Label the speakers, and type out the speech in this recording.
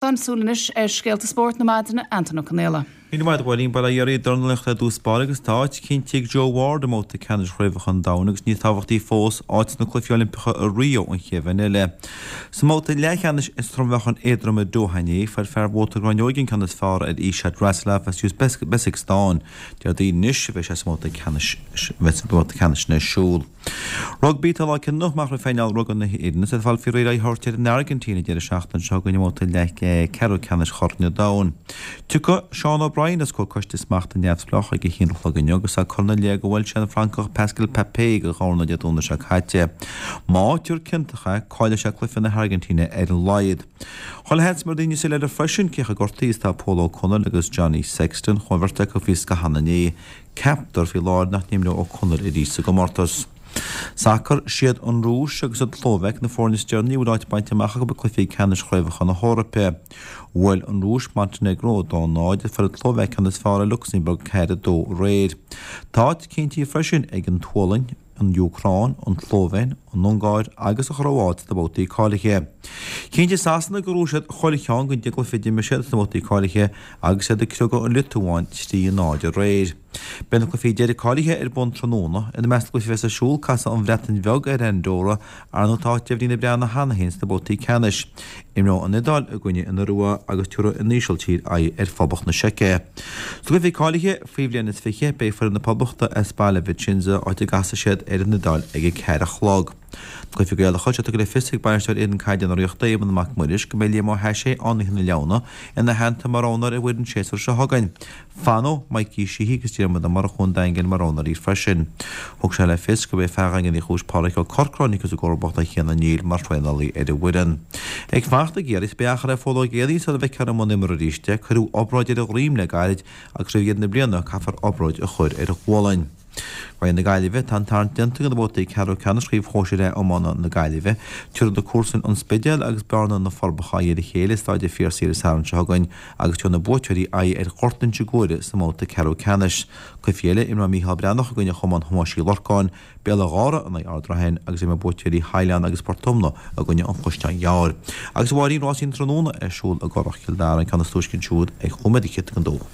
Speaker 1: Tá súil anois ar scéalta spóirt na maidine, Antaine Ó Conaola.
Speaker 2: Míle maith agat, a Mháirín. Bail ó Dhia oraibh. Dornálaíocht ar dtús báire agus tá áit cinnte ag Joe Ward i mbabhta ceannais Chraobhacha an Domhain agus níos tábhachtaí fós, áit sna Cluichí Oilimpeacha i Rio an chéad bhliain eile. Sa mbabhta leathcheannais sa trom-mheáchan éadrom i Doha inné, fuair fear Mhóta Gráinneoige an ceann is fearr ar Ishod Rasulov as Uzbekistan. Déardaoin anois a bheidh sé sa mbabhta ceannais bhabhta ceannais ar siúl. Rugbaí, Tá lá cinniúnach amach roimh phainéal rugbaí na hÉireann is iad ag fáil faoi réir aghaidh a thabhairt ar an Airgintín an deireadh seachtaine seo chugainn i mbabhta leathcheathrú ceannais Chorn an Domhain. Tiocfaidh Seán O'Brien os comhair coiste smachta neamhspleách ag a haon a chlog inniu agus é curtha ina leith gur bhuail sé an Francach Pascal Papé de dhorna Dé Domhnaigh seo caite. Má áitítear ciontach é, caillfidh sé cluiche na hAirgintíne ar a laghad. Chuile sheans mar daoine soiléire freisin cé chomh gortaithe is atá Pól Ó Conaill agus Johnny Sexton. Chuaigh an bheirt acu faoi scáthán inné. Ceaptar faoi láthair nach n-imreoidh Ó Conaill arís sa gcomórtas. Sacar, Siad an Rúis agus an tSlóvaic na foirne is deireanaí a bhfuil áit bainte amach acu i gcluichí ceannais chraobhacha na hEorpa. Bhuail an Rúis Montainéagró 2-0 fuair an tSlóvaic ceann is fearr ar Lucsamburg 4-2 aréir. Tá áit cinntithe freisin ag an tSualainn, an Úcráin, an tSlóivéin, an Ungáir agus an Chróáit sna babhtaí cáilithe. Chinntigh Sasana gur bhuaigh siad chuile cheann den deich gcluiche a d'imir siad sna babhtaí cáilithe agus iad ag criogadh an Liotuáin 3, 0 aréir. Beidh na cluichí deiridh cáilithe ar bun tráthnóna. Ina measc na gcluichí a bheas ar siúl, casfaidh an Bhreatain Bheag ar Andorra, ar ndóigh tá áit deimhnithe ag na Breatnaigh cheana féin sna babhtaí ceannais. Imreoidh an Iodáil i gcoinne an Iorua agus tabharfaidh an Ísiltír aghaidh ar Phoblacht na Seice. Sna cluichí cáilithe faoi bhliain is 20, beidh foireann na Poblachta as baile Vicenza, áit a gcasfaidh siad ar an Iodáil ag a 4 a chlog. Na cluichí Gaelacha, tá tugtha le fios ag bainisteoir fhoireann caide na Ríochta, Éamonn Mac Muiris, go mbeidh Liam Ó hAiséigh, Fhánaithe na Leamhna, ina theannta mar roghnóir ar an bhfoireann an séasúr seo chugainn. Fanfaidh Mikey Sheehy agus Diarmuid Ó Murchú an Daingin mar roghnóirí freisin. Thug sé le fios gurb é fear Dhaingean Uí Chúis Pádraic Ó Corcráin a thiocfas i gcomharbacht ar Chian O'Neill mar thraenálaí ar an bhfoireann. Ag fanacht i gCiarraí, beidh achar ar Phól Ó Géibheannaigh sula bhfeicfear i mbun imeartha arís é. Cuireadh obráid ar a dhroim le gairid agus roimh dheireadh na bliana caithfear obráid a chur ar a ghualainn. Roinn na Gaillimhe, Tá an tarraingt déanta do na babhtaí ceathrú ceannais Chraobh Shóisir A Iomána na Gaillimhe. Tabharfaidh na comharsain An Spidéal agus Bearna na Forbacha aghaidh ar a chéile i Staid an Phiarsaigh ar an Satharn seo chugainn agus tabharfaidh na buaiteoirí aghaidh ar Ghort Inse Guaire sa mbabhta ceathrú ceannais. Cluichí eile, imreoidh Mícheál Breathnach i gcoinne Chumann Thomáis Uí Lorcáin, Béal an Ghára in aghaidh Ard Raithin agus imreoidh buaiteoirí Shaileáin agus Port Omna i gcoinne an Chaisleáin Ghearr. Agus a Mháirín, rásaí an tráthnóna ar siúl i gCurrach Chill Dara, an ceann is túisce ansiúd ag chúig nóiméad don dó.